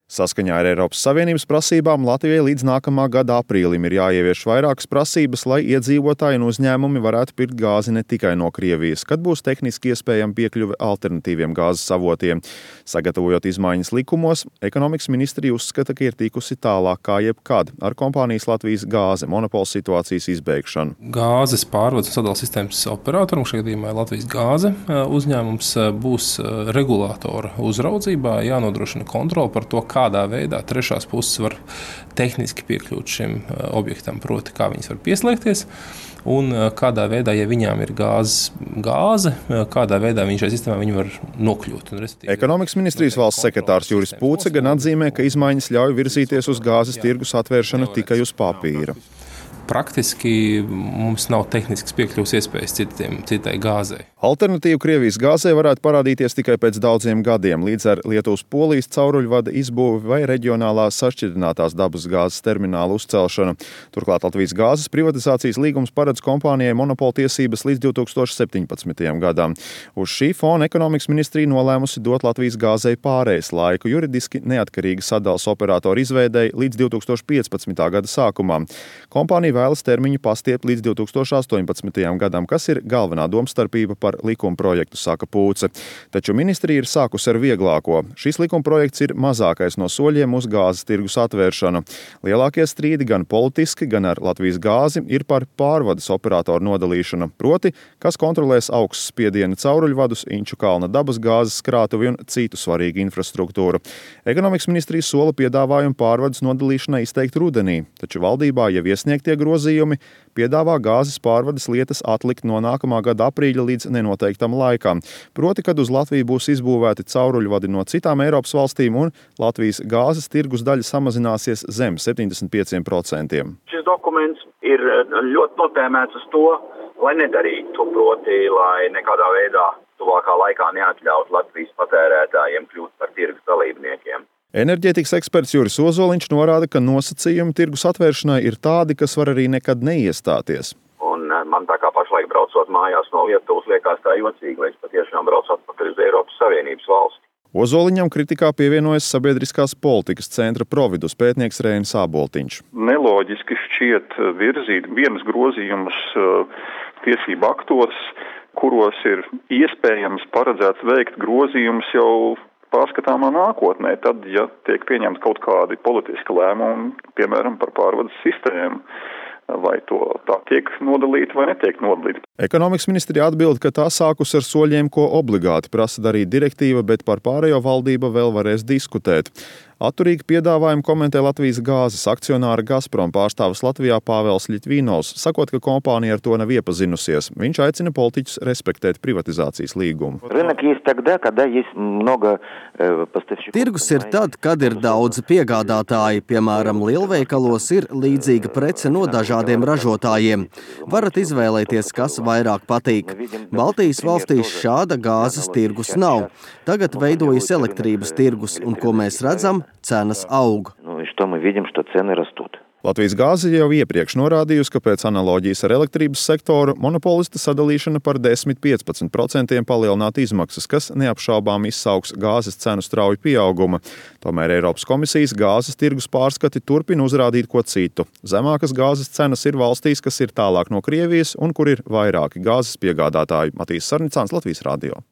Saskaņā ar Eiropas Savienības prasībām Latvijai līdz nākamā gada aprīlim ir jāievieš vairākas prasības, lai iedzīvotāji un uzņēmumi varētu pirkt gāzi ne tikai no Krievijas, kad būs tehniski iespējama piekļuve alternatīviem gāzes avotiem. Sagatavojot izmaiņas likumos, ekonomikas ministrija uzskata, ka ir tikusi tālāk kā jebkad ar kompānijas Latvijas gāze monopola situācijas izbeigšanu. Gāzes pārvades un sadales sistēmas operatoram, šajā gadījumā Latvijas gāze uzņēmums, būs regulātora uzraudzībā, jānodrošina kontrole par to, kādā veidā trešās puses var tehniski piekļūt šim objektam, proti, kā viņas var pieslēgties, un kādā veidā, ja viņām ir gāze, kādā veidā viņi šajā sistēmā var nokļūt. Ekonomikas ministrijas valsts sekretārs Juris Pūce gan atzīmē, ka izmaiņas ļauj virzīties uz gāzes tirgus atvēršanu tikai uz papīra. Praktiski mums nav tehniskas piekļuves iespējas citai gāzei. Alternatīva Krievijas gāzei varētu parādīties tikai pēc daudziem gadiem, līdz ar Lietuvas-Polijas cauruļvada izbūvi vai reģionālā sašķidrinātās dabas gāzes termināla uzcelšanu. Turklāt Latvijas gāzes privatizācijas līgums paredz kompānijai monopola tiesības līdz 2017. gadam. Uz šī fona ekonomikas ministrija nolēmusi dot Latvijas gāzei pārejas laiku juridiski neatkarīga sadales operātora izveidei līdz 2015. gada sākumā. Kompānija vēlas termiņu pastiept līdz 2018. gadam, kas ir galvenā domstarpība par likuma projektu, saka Pūce. Taču ministrija ir sākusi ar vieglāko. Šis likuma projekts ir mazākais no soļiem uz gāzes tirgus atvēršanu. Lielākie strīdi gan politiski, gan ar Latvijas gāzi ir par pārvades operātoru nodalīšanu, proti, kas kontrolēs augsts spiediena cauruļvadus, Inču kalna dabas gāzes krātuvi un citu svarīgu infrastruktūru. Ekonomikas ministrija sola piedāvājumu pārvades nodalīšanai izteikt rudenī, taču valdībā jau iesniegtie grozījumi piedāvā gāzes pārvades lietas atlikt no nākamā gada aprīļa līdz nenoteiktam laikam. Proti, kad uz Latviju būs izbūvēti cauruļvadi no citām Eiropas valstīm un Latvijas gāzes tirgus daļa samazināsies zem 75%. Šis dokuments ir ļoti notēmēts uz to, lai nedarītu, proti, lai nekādā veidā tuvākā laikā neatļautu Latvijas patērētājiem kļūt par tirgus dalībniekiem. Enerģētikas eksperts Juris Ozoliņš norāda, ka nosacījumi tirgus atvēršanai ir tādi, kas var arī nekad neiestāties. Un man tā kā pašlaik braucot mājās no Lietuvas liekas tā jocīgi, lai es patiešām braucu atpakaļ uz Eiropas Savienības valsti. Ozoliņam kritikā pievienojas sabiedriskās politikas centra Providus pētnieks Reinis Āboltiņš. Neloģiski šķiet virzīt vienas grozījumus tiesību aktos, kuros ir iespējams paredzēts veikt grozījumus jau pārskatāmā nākotnē, tad, ja tiek pieņemti kaut kādi politiski lēmumi, piemēram, par pārvades sistēmu, vai to tā tiek nodalīta vai netiek nodalīta. Ekonomikas ministrija atbild, ka tā sākus ar soļiem, ko obligāti prasa darīt direktīva, bet par pārējo valdība vēl varēs diskutēt. Atturīgi piedāvājumu komentē Latvijas gāzes akcionāra Gazprom pārstāvis Latvijā Pāvels Ļitvīnovs, sakot, ka kompānija ar to nav iepazinusies. Viņš aicina politiķus respektēt privatizācijas līgumu. Tirgus ir tad, kad ir daudz piegādātāji, piemēram, lielveikalos ir līdzīga prece no dažādiem ražotājiem. Varat izvēlēties, kas vairāk patīk. Baltijas valstīs šāda gāzes tirgus nav. Tagad veidojas elektrības tirgus, un ko mēs redzam? Cenas aug. Latvijas gāze jau iepriekš norādījusi, ka pēc analoģijas ar elektrības sektoru monopolista sadalīšana par 10–15% palielināt izmaksas, kas neapšaubām izsauks gāzes cenu strauju pieauguma. Tomēr Eiropas komisijas gāzes tirgus pārskati turpina uzrādīt ko citu. Zemākas gāzes cenas ir valstīs, kas ir tālāk no Krievijas un kur ir vairāki gāzes piegādātāji. Matīs Sarnicāns, Latvijas radio.